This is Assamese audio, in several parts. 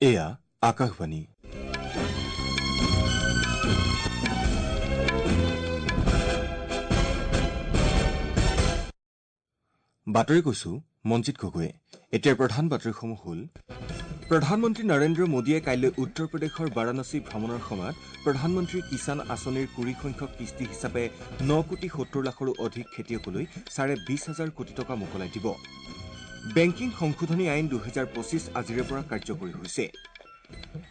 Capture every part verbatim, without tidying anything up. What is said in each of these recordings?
এয়া আকাশবাণী। বাতৰি কৈছো মঞ্জিত গগৈয়ে। এতিয়াৰ প্ৰধান বাতৰিসমূহ হ'ল: প্ৰধানমন্ত্ৰী নৰেন্দ্ৰ মোদীয়ে কাইলৈ উত্তৰ প্ৰদেশৰ বাৰাণসী ভ্ৰমণৰ সময়ত প্ৰধানমন্ত্ৰী কিষাণ আঁচনিৰ কুৰি সংখ্যক কিস্তি হিচাপে ন কোটি সত্তৰ লাখৰো অধিক খেতিয়কলৈ চাৰে বিশ হাজাৰ কোটি টকা মোকলাই দিব। বেংকিং সংশোধনী আইন দুহেজাৰ পঁচিছ আজিৰে পৰা কাৰ্যকৰী হৈছে।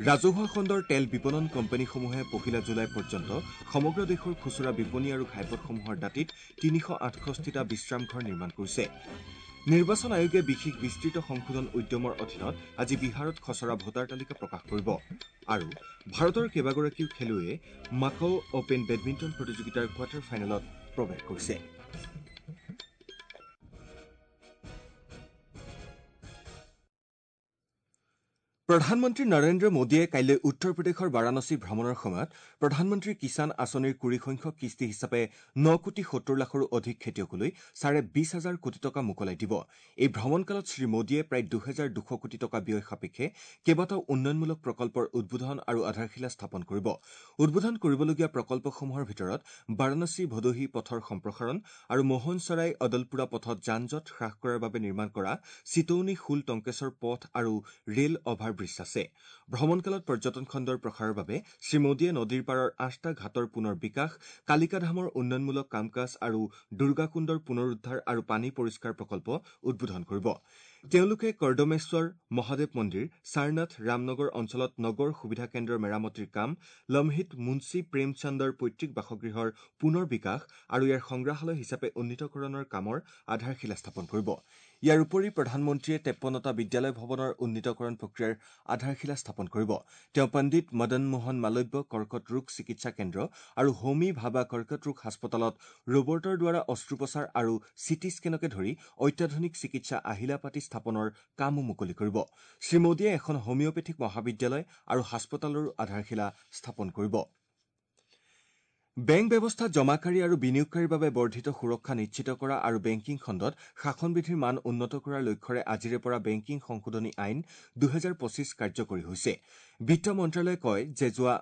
ৰাজহুৱা খণ্ডৰ তেল বিপণন কোম্পানীসমূহে পহিলা জুলাই পৰ্যন্ত সমগ্ৰ দেশৰ খুচুৰা বিপণী আৰু ঘাইপথসমূহৰ দাঁতিত তিনিশ আঠষষ্ঠিটা বিশ্ৰামঘৰ নিৰ্মাণ কৰিছে। নিৰ্বাচন আয়োগে বিশেষ বিস্তৃত সংশোধন উদ্যমৰ অধীনত আজি বিহাৰত খচৰা ভোটাৰ তালিকা প্ৰকাশ কৰিব। আৰু ভাৰতৰ কেইবাগৰাকীও খেলুৱৈয়ে মাকাও অপেন বেডমিণ্টন প্ৰতিযোগিতাৰ কোৱাৰ্টাৰ ফাইনেলত প্ৰৱেশ কৰিছে। প্ৰধানমন্ত্ৰী নৰেন্দ্ৰ মোদীয়ে কাইলৈ উত্তৰ প্ৰদেশৰ বাৰাণসী ভ্ৰমণৰ সময়ত প্ৰধানমন্ত্ৰী কিষাণ আঁচনিৰ কুৰি সংখ্যক কিস্তি হিচাপে ন কোটি সত্তৰ লাখৰো অধিক খেতিয়কলৈ চাৰে বিশ হাজাৰ কোটি টকা মোকলাই দিব। এই ভ্ৰমণকালত শ্ৰীমোদীয়ে প্ৰায় দুহেজাৰ দুশ কোটি টকা ব্যয় সাপেক্ষে কেইবাটাও উন্নয়নমূলক প্ৰকল্পৰ উদ্বোধন আৰু আধাৰশিলা স্থাপন কৰিব। উদ্বোধন কৰিবলগীয়া প্ৰকল্পসমূহৰ ভিতৰত বাৰাণসী ভদোহী পথৰ সম্প্ৰসাৰণ আৰু মোহনচৰাই অদলপুৰা পথত যান জঁট হ্ৰাস কৰাৰ বাবে নিৰ্মাণ কৰা চিতৌনি শুল টংকেশ্বৰ পথ আৰু ৰেল অভাৰ ব্ৰীজ আছে। ভ্ৰমণকালত পৰ্যটন খণ্ডৰ প্ৰসাৰৰ বাবে শ্ৰীমোদীয়ে নদীৰ পাৰৰ আঠটা ঘাটৰ পুনৰ বিকাশ, কালিকাধামৰ উন্নয়নমূলক কাম কাজ আৰু দুৰ্গাকুণ্ডৰ পুনৰুদ্ধাৰ আৰু পানী পৰিষ্কাৰ প্ৰকল্প উদ্বোধন কৰিব। তেওঁলোকে কৰ্দমেশ্বৰ মহাদেৱ মন্দিৰ, সাৰনাথ ৰামনগৰ অঞ্চলত নগৰ সুবিধা কেন্দ্ৰৰ মেৰামতিৰ কাম, লমহিত মুন্সী প্ৰেমচন্দৰ পৈতৃক বাসগৃহৰ পুনৰ বিকাশ আৰু ইয়াৰ সংগ্ৰহালয় হিচাপে উন্নীতকৰণৰ কামৰ আধাৰশিলা স্থাপন কৰিব। ইয়াৰ উপৰি প্ৰধানমন্ত্ৰীয়ে তেপন্নটা বিদ্যালয় ভৱনৰ উন্নীতকৰণ প্ৰক্ৰিয়াৰ আধাৰশিলা স্থাপন কৰিব। তেওঁ পণ্ডিত মদন মোহন মালব্য কৰ্কট ৰোগ চিকিৎসা কেন্দ্ৰ আৰু হোমি ভাবা কৰ্কট ৰোগ হাস্পতালত ৰবৰ্টৰ দ্বাৰা অস্ত্ৰোপচাৰ আৰু চিটি স্কেনকে ধৰি অত্যাধুনিক চিকিৎসা আহিলা পাতি স্থাপনৰ কামো মুকলি কৰিব। শ্ৰীমোদীয়ে এখন হোমিঅপেথিক মহাবিদ্যালয় আৰু হাস্পতালৰো আধাৰশিলা স্থাপন কৰিব। বেংক ব্যৱস্থাত জমাকাৰী আৰু বিনিয়োগকাৰীৰ বাবে বৰ্ধিত সুৰক্ষা নিশ্চিত কৰা আৰু বেংকিং খণ্ডত শাসনবিধিৰ মান উন্নত কৰাৰ লক্ষ্যৰে আজিৰে পৰা বেংকিং সংশোধনী আইন দুহেজাৰ পঁচিছ কাৰ্যকৰী হৈছে। বিত্ত মন্ত্ৰালয়ে কয় যে যোৱা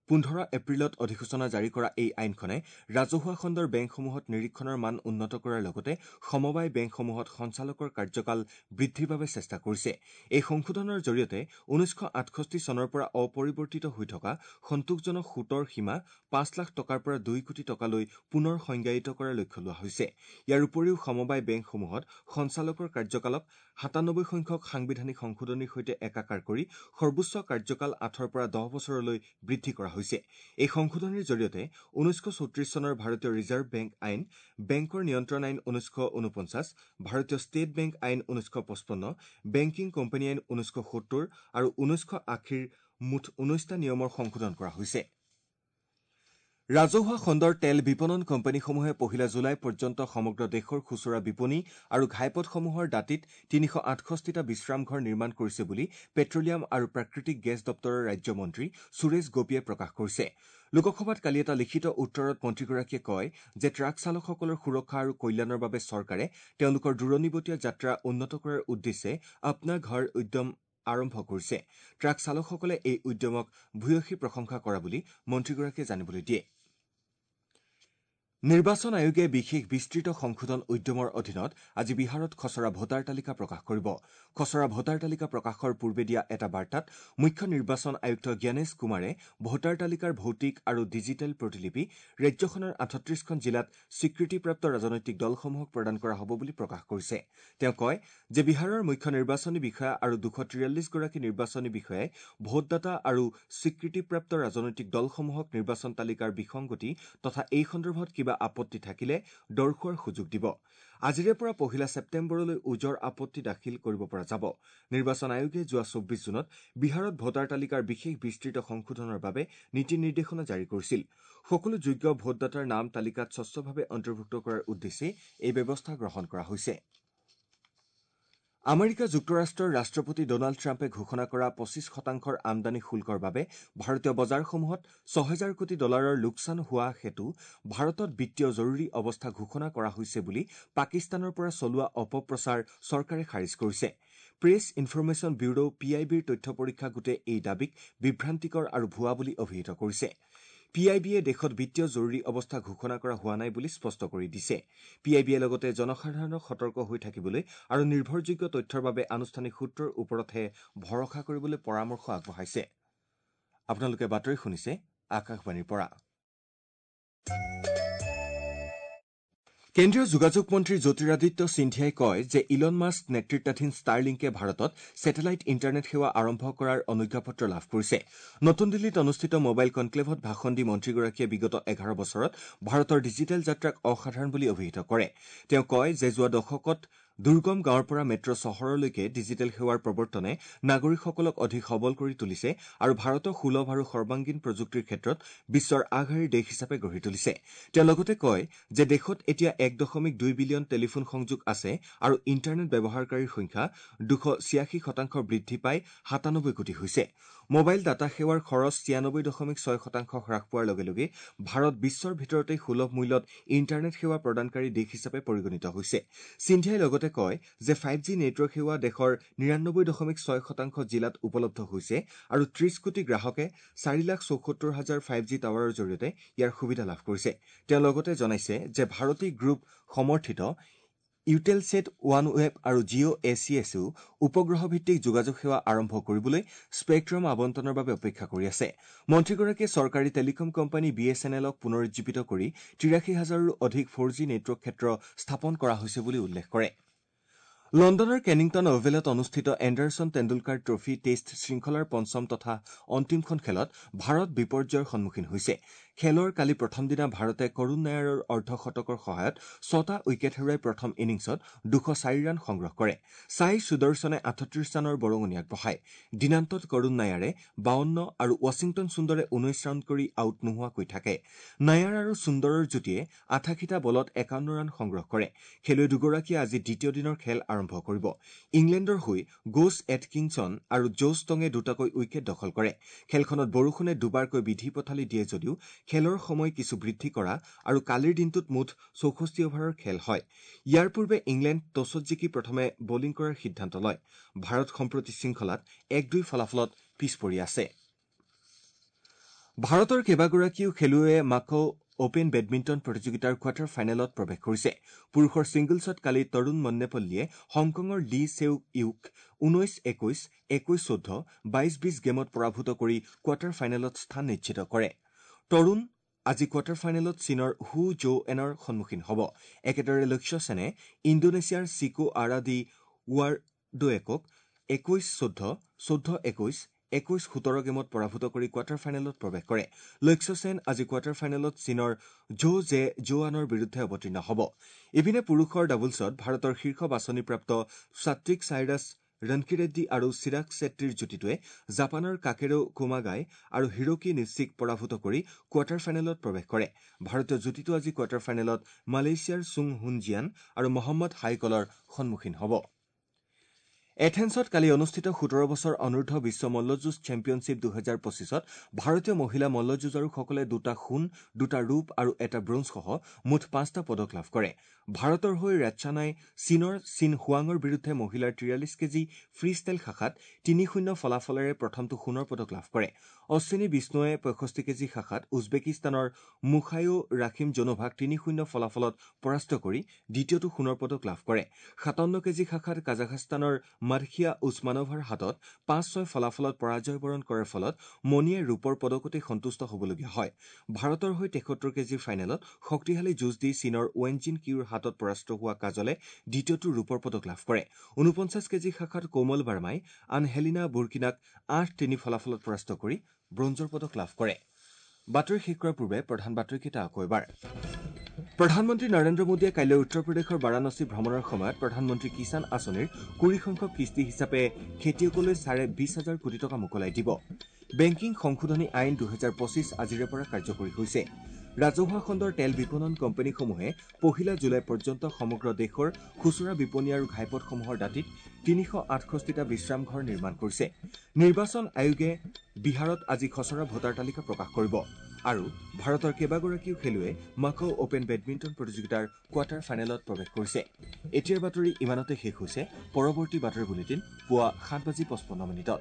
পোন্ধৰ এপ্ৰিলত অধিসূচনা জাৰি কৰা এই আইনখনে ৰাজহুৱা খণ্ডৰ বেংকসমূহত নিৰীক্ষণৰ মান উন্নত কৰাৰ লগতে সমবায় বেংকসমূহত সঞ্চালকৰ কাৰ্যকাল বৃদ্ধিৰ বাবে চেষ্টা কৰিছে। এই সংশোধনৰ জৰিয়তে ঊনৈছশ আঠষষ্ঠি চনৰ পৰা অপৰিৱৰ্তিত হৈ থকা সন্তোষজনক সুতৰ সীমা পাঁচ লাখ টকাৰ পৰা দুই কোটি টকালৈ পুনৰ সংজ্ঞায়িত কৰাৰ লক্ষ্য লোৱা হৈছে। ইয়াৰ উপৰিও সমবায় বেংকসমূহত সঞ্চালকৰ কাৰ্যকালক সাতানব্বৈ সংখ্যক সাংবিধানিক সংশোধনীৰ সৈতে একাকাৰ কৰি সৰ্বোচ্চ কাৰ্যকাল আঠৰ পৰা দহ বছৰলৈ বৃদ্ধি কৰা হৈছে। এই সংশোধনীৰ জৰিয়তে ঊনৈছশ চৌত্ৰিশ চনৰ ভাৰতীয় ৰিজাৰ্ভ বেংক আইন, বেংকৰ নিয়ন্ত্ৰণ আইন ঊনৈছশ ঊনপঞ্চাছ, ভাৰতীয় ষ্টেট বেংক আইন ঊনৈছশ পঁচপন্ন, বেংকিং কোম্পানী আইন ঊনৈছশ সত্তৰ আৰু ঊনৈছশ আশীৰ মুঠ ঊনৈছটা নিয়মৰ সংশোধন কৰা হৈছে। ৰাজহুৱা খণ্ডৰ তেল বিপণন কোম্পানীসমূহে পহিলা জুলাই পৰ্যন্ত সমগ্ৰ দেশৰ খুচুৰা বিপণী আৰু ঘাইপথসমূহৰ দাঁতিত তিনিশ আঠষষ্ঠিটা বিশ্ৰামঘৰ নিৰ্মাণ কৰিছে বুলি পেট্ৰলিয়াম আৰু প্ৰাকৃতিক গেছ দপ্তৰৰ ৰাজ্যমন্ত্ৰী সুৰেশ গোপীয়ে প্ৰকাশ কৰিছে। লোকসভাত কালি এটা লিখিত উত্তৰত মন্ত্ৰীগৰাকীয়ে কয় যে ট্ৰাক চালকসকলৰ সুৰক্ষা আৰু কল্যাণৰ বাবে চৰকাৰে তেওঁলোকৰ দূৰণিবটীয়া যাত্ৰা উন্নত কৰাৰ উদ্দেশ্যে আপনা ঘৰ উদ্যম আৰম্ভ কৰিছে। ট্ৰাক চালকসকলে এই উদ্যমক ভূয়সী প্ৰশংসা কৰা বুলি মন্ত্ৰীগৰাকীয়ে জানিবলৈ দিয়ে। নিৰ্বাচন আয়োগে বিশেষ বিস্তৃত সংশোধন উদ্যমৰ অধীনত আজি বিহাৰত খচৰা ভোটাৰ তালিকা প্ৰকাশ কৰিব। খচৰা ভোটাৰ তালিকা প্ৰকাশৰ পূৰ্বে দিয়া এটা বাৰ্তাত মুখ্য নিৰ্বাচন আয়ুক্ত জ্ঞানেশ কুমাৰে ভোটাৰ তালিকাৰ ভৌতিক আৰু ডিজিটেল প্ৰতিলিপি ৰাজ্যখনৰ আঠত্ৰিশখন জিলাত স্বীকৃতিপ্ৰাপ্ত ৰাজনৈতিক দলসমূহক প্ৰদান কৰা হ'ব বুলি প্ৰকাশ কৰিছে। তেওঁ কয় যে বিহাৰৰ মুখ্য নিৰ্বাচনী বিষয়া আৰু দুশ তিৰাল্লিছগৰাকী নিৰ্বাচনী বিষয়াই ভোটদাতা আৰু স্বীকৃতিপ্ৰাপ্ত ৰাজনৈতিক দলসমূহক নিৰ্বাচন তালিকাৰ বিসংগতি তথা এই সন্দৰ্ভত কিবা আপত্তি থাকিলে দৰ্শোৱাৰ সুযোগ দিব। আজিৰে পৰা পহিলা ছেপ্টেম্বৰলৈ ওজৰ আপত্তি দাখিল কৰিব পৰা যাব। নিৰ্বাচন আয়োগে যোৱা চৌব্বিছ জুনত বিহাৰত ভোটাৰ তালিকাৰ বিশেষ বিস্তৃত সংশোধনৰ বাবে নীতি নিৰ্দেশনা জাৰি কৰিছিল। সকলো যোগ্য ভোটদাতাৰ নাম তালিকাত স্বচ্ছভাৱে অন্তৰ্ভুক্ত কৰাৰ উদ্দেশ্যে এই ব্যৱস্থা গ্ৰহণ কৰা হৈছে। আমেৰিকা যুক্তৰাষ্ট্ৰৰ ৰাষ্ট্ৰপতি ডনাল্ড ট্ৰাম্পে ঘোষণা কৰা পঁচিছ শতাংশৰ আমদানি শুল্কৰ বাবে ভাৰতীয় বজাৰসমূহত ছহেজাৰ কোটি ডলাৰৰ লোকচান হোৱা হেতু ভাৰতত বিত্তীয় জৰুৰী অৱস্থা ঘোষণা কৰা হৈছে বুলি পাকিস্তানৰ পৰা চলোৱা অপপ্ৰচাৰ চৰকাৰে খাৰিজ কৰিছে। Press information bureau P I বিৰ তথ্য পৰীক্ষা গোটে এই দাবীক বিভ্ৰান্তিকৰ আৰু ভুৱা বুলি অভিহিত কৰিছে। পি আই বিয়ে দেশত বিত্তীয় জৰুৰী অৱস্থা ঘোষণা কৰা হোৱা নাই বুলি স্পষ্ট কৰি দিছে। পি আই বিয়ে লগতে জনসাধাৰণক সতৰ্ক হৈ থাকিবলৈ আৰু নিৰ্ভৰযোগ্য তথ্যৰ বাবে আনুষ্ঠানিক সূত্ৰৰ ওপৰতহে ভৰসা কৰিবলৈ পৰামৰ্শ আগবঢ়াইছে। আপোনালোকে বাতৰি শুনিছে আকাশবাণীৰ পৰা। কেন্দ্ৰীয় যোগাযোগ মন্ত্ৰী জ্যোতিৰাদিত্য সিন্ধিয়াই কয় যে ইলন মাস্ক নেতৃত্বাধীন ষ্টাৰলিংকে ভাৰতত ছেটেলাইট ইণ্টাৰনেট সেৱা আৰম্ভ কৰাৰ অনুজ্ঞাপত্ৰ লাভ কৰিছে। নতুন দিল্লীত অনুষ্ঠিত মোবাইল কনক্লেভত ভাষণ দি মন্ত্ৰীগৰাকীয়ে বিগত এঘাৰ বছৰত ভাৰতৰ ডিজিটেল যাত্ৰাক অসাধাৰণ বুলি অভিহিত কৰে। তেওঁ কয় যে যোৱা দশকত দুৰ্গম গাঁৱৰ পৰা মেট্ৰ চহৰলৈকে ডিজিটেল সেৱাৰ প্ৰৱৰ্তনে নাগৰিকসকলক অধিক সবল কৰি তুলিছে আৰু ভাৰতক সুলভ আৰু সৰ্বাংগীন প্ৰযুক্তিৰ ক্ষেত্ৰত বিশ্বৰ আগশাৰীৰ দেশ হিচাপে গঢ়ি তুলিছে। তেওঁ লগতে কয় যে দেশত এতিয়া এক দশমিক দুই বিলিয়ন টেলিফোন সংযোগ আছে আৰু ইণ্টাৰনেট ব্যৱহাৰকাৰীৰ সংখ্যা দুশ ছিয়াশী শতাংশ বৃদ্ধি পাই সাতানব্বৈ কোটি হৈছে। মোবাইল ডাটা সেৱাৰ খৰচ ছিয়ানব্বৈ দশমিক ছয় শতাংশ হ্ৰাস পোৱাৰ লগে লগে ভাৰত বিশ্বৰ ভিতৰতে সুলভ মূল্যত ইণ্টাৰনেট সেৱা প্ৰদানকাৰী দেশ হিচাপে পৰিগণিত হৈছে। সিন্ধিয়াই লগতে কয় যে ফাইভ জি নেটৱৰ্ক সেৱা দেশৰ নিৰানব্বৈ দশমিক ছয় শতাংশ জিলাত উপলব্ধ হৈছে আৰু ত্ৰিশ কোটি গ্ৰাহকে চাৰি লাখ চৌসত্তৰ হাজাৰ ফাইভ জি টাৱাৰৰ জৰিয়তে ইয়াৰ সুবিধা লাভ কৰিছে। তেওঁ লগতে জনাইছে যে ভাৰতী গ্ৰুপ সমৰ্থিত ইউটেলছেট, ওৱান ৱেব আৰু জিঅ' এ চি এছেও উপগ্ৰহভিত্তিক যোগাযোগ সেৱা আৰম্ভ কৰিবলৈ স্পেকট্ৰাম আবণ্টনৰ বাবে অপেক্ষা কৰি আছে। মন্ত্ৰীগৰাকীয়ে চৰকাৰী telecom company B S N এলক পুনৰুজ্জীৱিত কৰি তিৰাশী হাজাৰৰো অধিক ফ'ৰ জি নেটৱৰ্ক ক্ষেত্ৰ স্থাপন কৰা হৈছে বুলি উল্লেখ কৰে। লণ্ডনৰ কেনিংটন অভেলত অনুষ্ঠিত এণ্ডাৰছন তেণ্ডুলকাৰ ট্ৰফী টেষ্ট শৃংখলাৰ পঞ্চম তথা অন্তিমখন খেলত ভাৰত বিপৰ্যয়ৰ সন্মুখীন হৈছে। খেলৰ কালি প্ৰথম দিনা ভাৰতে কৰুণ নায়াৰৰ অৰ্ধশতকৰ সহায়ত ছটা উইকেট হেৰুৱাই প্ৰথম ইনিংছত দুশ চাৰি ৰান সংগ্ৰহ কৰে। ছাই সুদৰ্শনে আঠত্ৰিশ ৰানৰ বৰঙণি আগবঢ়ায়। দিনান্তত কৰুণ নায়াৰে বাৱন্ন আৰু ৱাশ্বিংটন সুন্দৰে ঊনৈশ ৰান কৰি আউট নোহোৱাকৈ থাকে। নায়াৰ আৰু সুন্দৰৰ যুটিয়ে আঠাশীটা বলত একাৱন্ন ৰান সংগ্ৰহ কৰে। খেলুৱৈ দুগৰাকীয়ে আজি দ্বিতীয় দিনৰ খেল আৰম্ভ কৰিব। ইংলেণ্ডৰ হৈ গোছ এটকিনছন আৰু জোছ টঙে দুটাকৈ উইকেট দখল কৰে। খেলখনত বৰষুণে দুবাৰকৈ বিধি পথালি দিয়ে যদিও খেলৰ সময় কিছু বৃদ্ধি কৰা আৰু কালিৰ দিনটোত মুঠ চৌষষ্ঠি অভাৰৰ খেল হয়। ইয়াৰ পূৰ্বে ইংলেণ্ড টছত জিকি প্ৰথমে বলিং কৰাৰ সিদ্ধান্ত লয়। ভাৰত সম্প্ৰতি শৃংখলাত এক দুই ফলাফলত পিছ পৰি আছে। ভাৰতৰ কেইবাগৰাকীও খেলুৱৈয়ে মাকাও অপেন বেডমিণ্টন প্ৰতিযোগিতাৰ কোৱাৰ্টাৰ ফাইনেলত প্ৰৱেশ কৰিছে। পুৰুষৰ ছিংগলছত কালি তৰুণ মন্নেপল্লীয়ে হংকঙৰ লি চেউ ইউক ঊনৈশ একৈশ, একৈশ চৈধ্য, বাইশ বিশ গেমত পৰাভূত কৰি কোৱাৰ্টাৰ ফাইনেলত স্থান নিশ্চিত কৰে। তৰুণ আজি কোৱাৰ্টাৰ ফাইনেলত চীনৰ হু জো এনৰ সন্মুখীন হ'ব। একেদৰে লক্ষ্য সেনে ইণ্ডোনেছিয়াৰ চিকো আৰা দি ৱাৰডোৱেকক একৈশ চৈধ্য, চৈধ্য একৈশ, একৈশ সোতৰ গেমত পৰাভূত কৰি কোৱাৰ্টাৰ ফাইনেলত প্ৰৱেশ কৰে। লক্ষ্য সেন আজি কোৱাৰ্টাৰ ফাইনেলত চীনৰ জো জে জোৱানৰ বিৰুদ্ধে অৱতীৰ্ণ হ'ব। ইপিনে পুৰুষৰ ডাবলছত ভাৰতৰ শীৰ্ষ বাছনিপ্ৰাপ্ত সাত্বিক চাইৰাছ ৰনকিৰেড্ডী আৰু চিৰাগ ছেট্টীৰ যুটিটোৱে জাপানৰ কাকেৰো কোমাগাই আৰু হিৰোকি নিশ্চিক পৰাভূত কৰি কোৱাৰ্টাৰ ফাইনেলত প্ৰৱেশ কৰে। ভাৰতীয় যুটিটো আজি কোৱাৰ্টাৰ ফাইনেলত মালয়েছিয়াৰ চুং হুনজিয়ান আৰু মহম্মদ হাইকলৰ সন্মুখীন হ'ব। এথেন্সত কালি অনুষ্ঠিত সোতৰ বছৰ অনূৰ্ধ্ব বিশ্ব মল্লযুঁজ চেম্পিয়নশ্বিপ দুহেজাৰ পঁচিছত ভাৰতীয় মহিলা মল্লযুঁজাৰুসকলে দুটা সোণ, দুটা ৰূপ আৰু এটা ব্ৰঞ্জসহ মুঠ পাঁচটা পদক লাভ কৰে। ভাৰতৰ হৈ ৰাচ্ছানাই চীনৰ চিন হুৱাঙৰ বিৰুদ্ধে মহিলাৰ তিৰাল্লিছ কেজি ফ্ৰী ষ্টাইল শাখাত তিনি শূন্য ফলাফলেৰে প্ৰথমটো সোণৰ পদক লাভ কৰে। অশ্বিনী বিষ্ণুৱে পঁয়ষষ্ঠি কেজি শাখাত উজবেকিস্তানৰ মুখায়ো ৰাখিম জনোভাক তিনি শূন্য ফলাফলত পৰাস্ত কৰি দ্বিতীয়টো সোণৰ পদক লাভ কৰে। সাতাৱন্ন কেজি শাখাত কাজাখস্তানৰ মাদখিয়া উছমানোভাৰ হাতত পাঁচ ছয় ফলাফলত পৰাজয় বৰণ কৰাৰ ফলত মণিয়ে ৰূপৰ পদকতে সন্তুষ্ট হ'বলগীয়া হয়। ভাৰতৰ হৈ তেসত্তৰ কেজিৰ ফাইনেলত শক্তিশালী যুঁজ দি চীনৰ ৱেনজিন কিউৰ হাতত পৰাস্ত হোৱা কাজলে দ্বিতীয়টো ৰূপৰ পদক লাভ কৰে। ঊনপঞ্চাছ কেজি শাখাত কোমল বাৰ্মাই আনহেলিনা বুৰ্কিনাক আঠ তিনি ফলাফলত পৰাস্ত কৰি ব্ৰঞ্জৰ পদক লাভ কৰে। বাতৰি শেষ কৰাৰ পূৰ্বে প্ৰধান বাতৰিকেইটা আকৌ এবাৰ। প্ৰধানমন্ত্ৰী নৰেন্দ্ৰ মোদীয়ে কাইলৈ উত্তৰ প্ৰদেশৰ বাৰাণসী ভ্ৰমণৰ সময়ত প্ৰধানমন্ত্ৰী কিষাণ আঁচনিৰ কুৰি সংখ্যক কিস্তি হিচাপে খেতিয়কলৈ চাৰে বিশ হাজাৰ কোটি টকা মোকলাই দিব। বেংকিং সংশোধনী আইন দুহেজাৰ পঁচিছ আজিৰে পৰা কাৰ্যকৰী হৈছে। ৰাজহুৱা খণ্ডৰ তেল বিপণন কোম্পানীসমূহে পহিলা জুলাই পৰ্যন্ত সমগ্ৰ দেশৰ খুচুৰা বিপণী আৰু ঘাইপথসমূহৰ দাঁতিত তিনিশ আঠষষ্ঠিটা বিশ্ৰামঘৰ নিৰ্মাণ কৰিছে। নিৰ্বাচন আয়োগে বিহাৰত আজি খচৰা ভোটাৰ তালিকা প্ৰকাশ কৰিব। আৰু ভাৰতৰ কেইবাগৰাকীও খেলুৱৈয়ে মাকাও অপেন বেডমিণ্টন প্ৰতিযোগিতাৰ কোৱাৰ্টাৰ ফাইনেলত প্ৰৱেশ কৰিছে। এতিয়াৰ বাতৰি ইমানতে শেষ হৈছে। পৰৱৰ্তী বাতৰি বুলেটিন পুৱা সাত বাজি পঁচপন্ন মিনিটত।